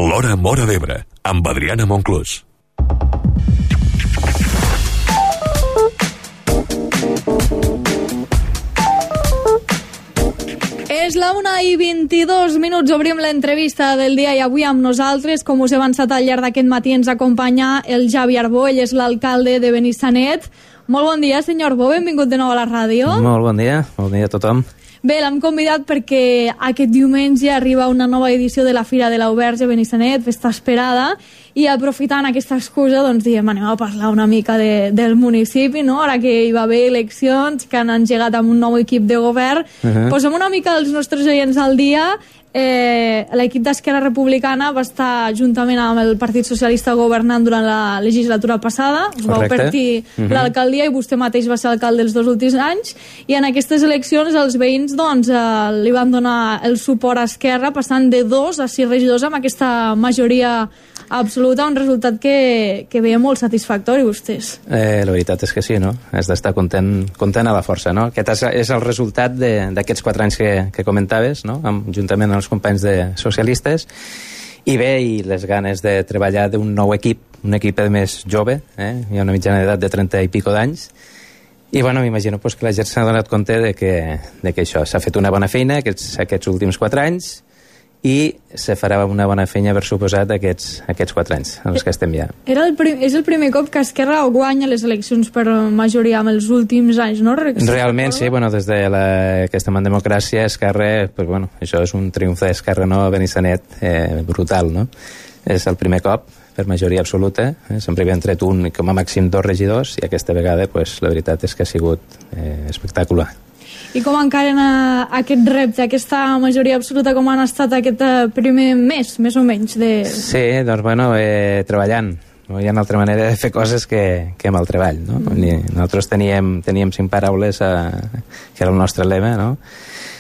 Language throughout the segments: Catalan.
L'Hora Móra d'Ebre, amb Adriana Monclús. És la 1:22. Obrim l'entrevista del dia i avui amb nosaltres, com us he avançat al llarg d'aquest matí, ens acompanya el Javi Arbó, ell és l'alcalde de Benissanet. Molt bon dia, senyor Arbó, benvingut de nou a la ràdio. Molt bon dia a tothom. Bé, l'hem convidat perquè aquest diumenge arriba una nova edició de la Fira de l'Auberge a Benissanet, festa esperada, i aprofitant aquesta excusa, doncs diem, anem a parlar una mica del municipi, no? Ara que hi va haver eleccions, que han engegat amb un nou equip de govern. Posem una mica els nostres oients al dia. L'equip d'Esquerra Republicana va estar juntament amb el Partit Socialista governant durant la legislatura passada. Us vau partir l'alcaldia i vostè mateix va ser alcalde els 2 últims anys, i en aquestes eleccions els veïns li van donar el suport a Esquerra, passant de 2 a 6 regidors amb aquesta majoria absoluta, un resultat que veia molt satisfactori vostès. La veritat és que sí, no? Has d'estar content a la força, no? Aquest és el resultat d'aquests 4 anys que comentaves, no? Juntament amb els companys de socialistes, i bé, i les ganes de treballar d'un nou equip, un equip més jove, hi ha una mitjana d'edat de 30 i pico d'anys, i bueno, m'imagino que la gent s'ha donat compte de que això, s'ha fet una bona feina aquests últims 4 anys, i se farà una bona feina, per suposat, aquests 4 anys en els que estem ja. És el primer cop que Esquerra guanya les eleccions per majoria en els últims anys, no? Realment, sí, des de que estem en democràcia, Esquerra, això és un triomf d'Esquerra, no? A Benissanet, brutal, no? És el primer cop, per majoria absoluta, sempre havien tret un, com a màxim 2 regidors, i aquesta vegada, la veritat és que ha sigut espectacular. I com encaren aquest repte, aquesta majoria absoluta, com han estat aquest primer mes, més o menys? Sí, treballant. No hi ha una altra manera de fer coses que amb el treball, no? Nosaltres teníem 5 paraules, que era el nostre lema, no?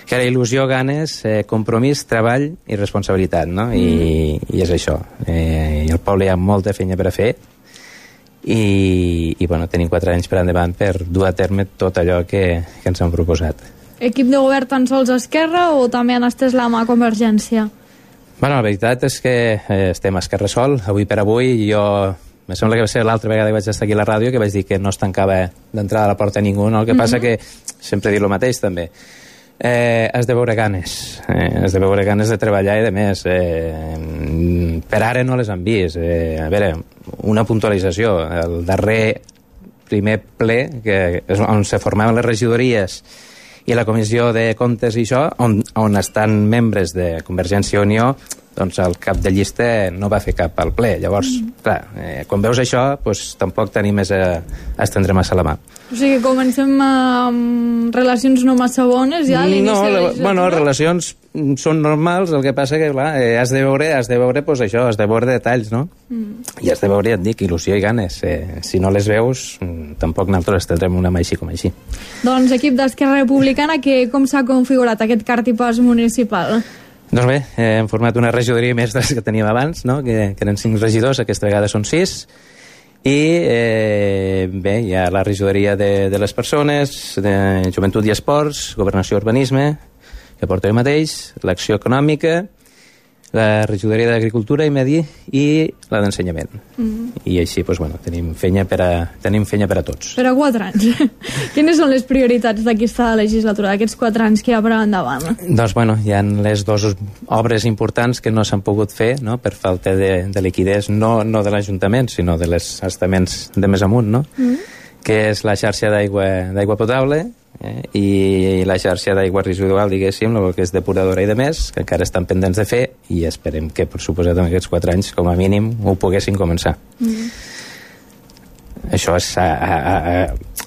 Que era il·lusió, ganes, compromís, treball i responsabilitat, no? I és això. I al poble hi ha molta feina per a fer, i tenim 4 anys per endavant per dur a terme tot allò que ens han proposat. Equip de govern tan sols a Esquerra o també han estès la mà a Convergència? La veritat és que estem a Esquerra sol. Avui per avui, me sembla que va ser l'altra vegada que vaig estar aquí a la ràdio, que vaig dir que no es tancava d'entrada a la porta a ningú, no? El que passa que sempre he dit el mateix també. Has de veure ganes, de treballar, i de més, per ara no les han vist. A veure, una puntualització, el darrer primer ple, que és on se formaven les regidories i la comissió de comptes i això, on estan membres de Convergència i Unió, doncs el cap de llista no va fer cap al ple. Llavors, clar, quan veus això, tampoc tenim més a estendre massa la mà. O sigui, comencem amb relacions no massa bones ja a l'inici de la legislatura? Les relacions són normals, el que passa que, clar, has de veure això, has de veure detalls, no? I has de veure, ja et dic, il·lusió i ganes. Si no les veus, tampoc nosaltres tindrem una mà així com així. Doncs, equip d'Esquerra Republicana, com s'ha configurat aquest cartipàs municipal? Doncs bé, hem format una regidoria més de les que teníem abans, no? Que eren 5 regidors, aquesta vegada són 6, i bé, hi ha la regidoria de les persones, de joventut i esports, governació i urbanisme, que porta jo mateix, l'acció econòmica, la regidoria d'agricultura i medi i la d'ensenyament. I així, tenim feina per a tots. Per a 4 anys. Quines són les prioritats d'aquesta legislatura, d'aquests 4 anys que hi ha per endavant? Doncs, hi ha les 2 obres importants que no s'han pogut fer, no?, per falta de liquiditat, no de l'Ajuntament, sinó de les estaments de més amunt, no?, que és la xarxa d'aigua potable, i la xarxa d'aigua residual, diguéssim, el que és depuradora i de més, que encara estan pendents de fer, i esperem que, per suposat, en aquests 4 anys, com a mínim, ho poguessin començar. Això és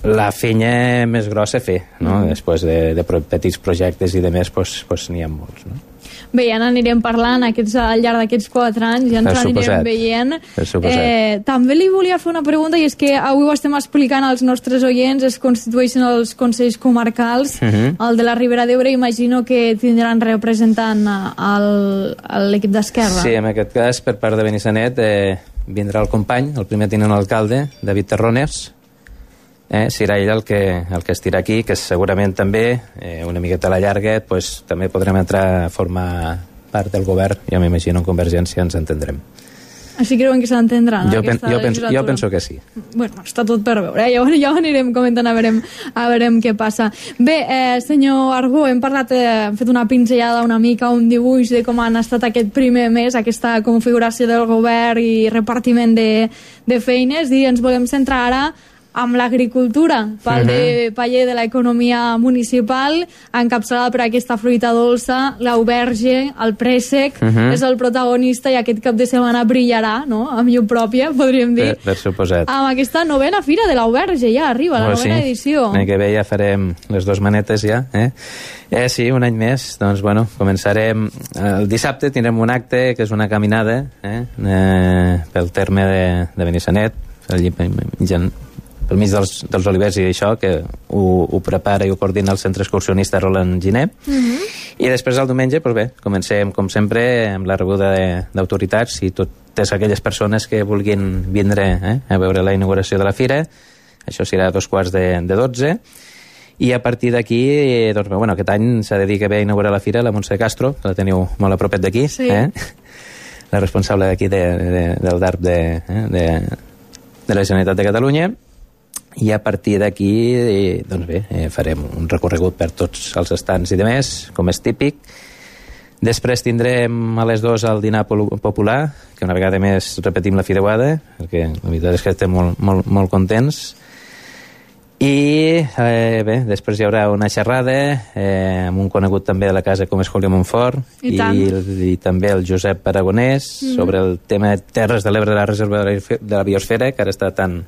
la feina més grossa a fer, no? Després de petits projectes i de més, n'hi ha molts, no? Bé, ja n'anirem parlant al llarg d'aquests 4 anys, ja ens anirem veient. També li volia fer una pregunta, i és que avui ho estem explicant als nostres oients, es constitueixen els consells comarcals, el de la Ribera d'Ebre, imagino que tindran representant a l'equip d'Esquerra. Sí, en aquest cas, per part de Benissanet, vindrà el company, el primer tinent alcalde, David Terrones, serà ell el que estirà aquí, que segurament també, una miqueta a la llarga, també podrem entrar a formar part del govern, jo m'imagino en Convergència ens entendrem. Així creuen que s'entendran Jo penso que sí. Bueno, està tot per veure, ja ho anirem comentant, a veurem què passa. Bé, senyor Argó, hem fet una pinzellada una mica, un dibuix de com han estat aquest primer mes, aquesta configuració del govern i repartiment de feines, i ens volem centrar ara amb l'agricultura, paller de l'economia municipal, encapçalada per aquesta fruita dolça, l'auberge, el préssec, és el protagonista i aquest cap de setmana brillarà, no?, amb llum pròpia, podríem dir. Per suposat. Amb aquesta novena fira de l'auberge, ja arriba, la novena edició. L'any que ve ja farem les 2 manetes, ja. Sí, un any més, doncs, bueno, començarem... El dissabte tindrem un acte, que és una caminada, pel terme de Benissanet, pel mig dels olivers i això, que ho prepara i ho coordina el centre excursionista Roland Giner. I després el diumenge, doncs bé, comencem com sempre amb la rebuda d'autoritats i totes aquelles persones que vulguin vindre a veure la inauguració de la fira. Això serà a 11:45. I a partir d'aquí, doncs, bueno, aquest any s'ha de dir que ve a inaugurar la fira la Montse Castro, que la teniu molt a propet d'aquí, la responsable d'aquí del DARP de la Generalitat de Catalunya. I a partir d'aquí, doncs bé, farem un recorregut per tots els estants i demés, com és típic. Després tindrem a les 2 el dinar popular, que una vegada més repetim la fideuada, perquè la veritat és que estem molt contents. I bé, després hi haurà una xerrada amb un conegut també de la casa com és Julio Montfort i també el Josep Aragonès sobre el tema de Terres de l'Ebre de la Reserva de la Biosfera, que ara està tan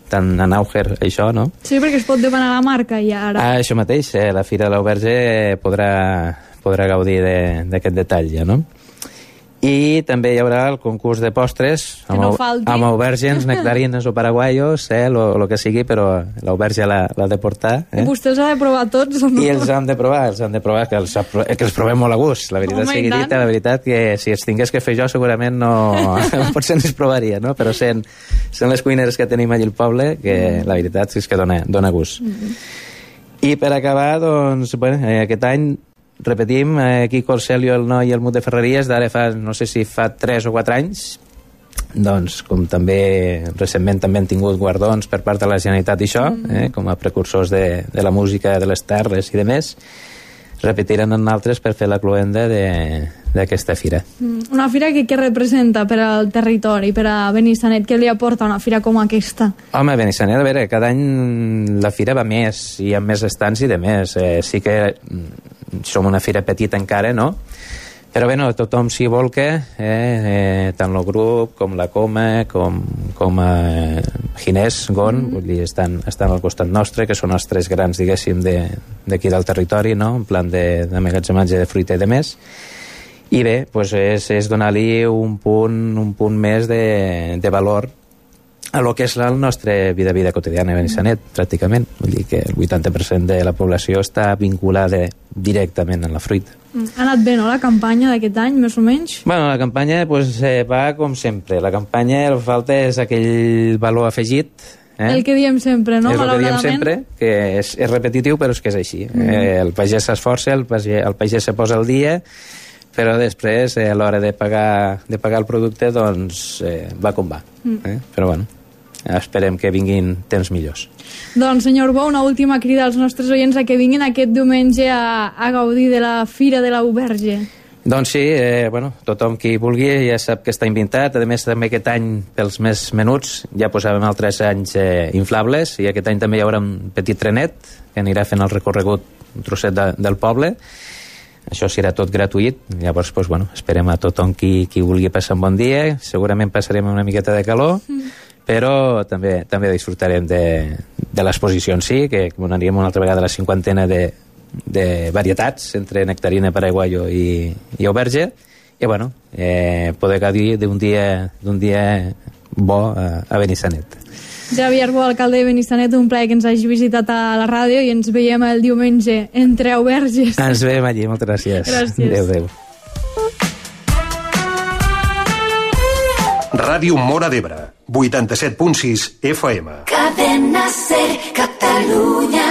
en auge això, no? Sí, perquè es pot demanar la marca ja ara. Això mateix, la Fira de l'Auberge podrà gaudir d'aquest detall ja, no? I també hi haurà el concurs de postres amb aubergines, nectarines o paraguaios, el que sigui, però l'auberge l'ha de portar. Vostè els ha de provar tots o no? I els han de provar, que els provem molt a gust, la veritat sigui dita, la veritat que si els tingués que fer jo segurament no potser no els provaria, no? Però sent les cuineres que tenim allà al poble, que la veritat és que dona gust. I per acabar, doncs, aquest any repetim, aquí Corselio, el Noi i el Mut de Ferreries, d'ara fa, no sé si fa 3 o 4 anys, doncs, com també recentment també han tingut guardons per part de la Generalitat i això, com a precursors de la música de les terres i de més, repetiran en altres per fer la cloenda d'aquesta fira. Una fira que representa per al territori, per a Benissanet? Què li aporta una fira com aquesta? Home, Benissanet, a veure, cada any la fira va més, i amb més estants i de més. Sí que som una fira petita encara, no? Però bé, tothom s'hi volca, tant el grup com la Coma, com Ginés, Gon, vull dir, estan al costat nostre, que són els 3 grans, diguéssim, d'aquí del territori, no?, en plan d'emmagatzematge de fruita i de més. I bé, doncs és donar-li un punt més de valor a lo que és la nostra vida quotidiana a Benissanet, pràcticament. Vull dir que el 80% de la població està vinculada directament a la fruita. Ha anat bé, no?, la campanya d'aquest any, més o menys? Bueno, la campanya va com sempre. La campanya el que falta és aquell valor afegit. El que diem sempre, no?, malauradament. És el que diem sempre, que és repetitiu, però és que és així. El pagès s'esforça, el pagès se posa al dia, però després, a l'hora de pagar el producte, doncs va com va. Però bueno, esperem que vinguin temps millors. Doncs, senyor Bo, una última crida als nostres oients a que vinguin aquest diumenge a gaudir de la Fira de l'Auberge. Doncs sí, tothom qui vulgui ja sap que està invitat. A més, també aquest any, pels més menuts, ja posàvem altres anys inflables, i aquest any també hi haurà un petit trenet que anirà fent el recorregut, un trosset del poble. Això serà tot gratuït. Llavors, esperem a tothom qui vulgui passar un bon dia. Segurament passarem una miqueta de calor, però també disfrutarem de l'exposició en si, que donaríem una altra vegada la 50ena de varietats entre nectarina, paraguaio i auberge, i poder gaudir d'un dia bo a Benissanet. Javier Bo, alcalde de Benissanet, un plaer que ens hagi visitat a la ràdio, i ens veiem el diumenge entre auberges. Ens veiem allí, moltes gràcies. Gràcies. Adéu. Ràdio Móra d'Ebre, 87.6 FM. Cadena Ser, Catalunya.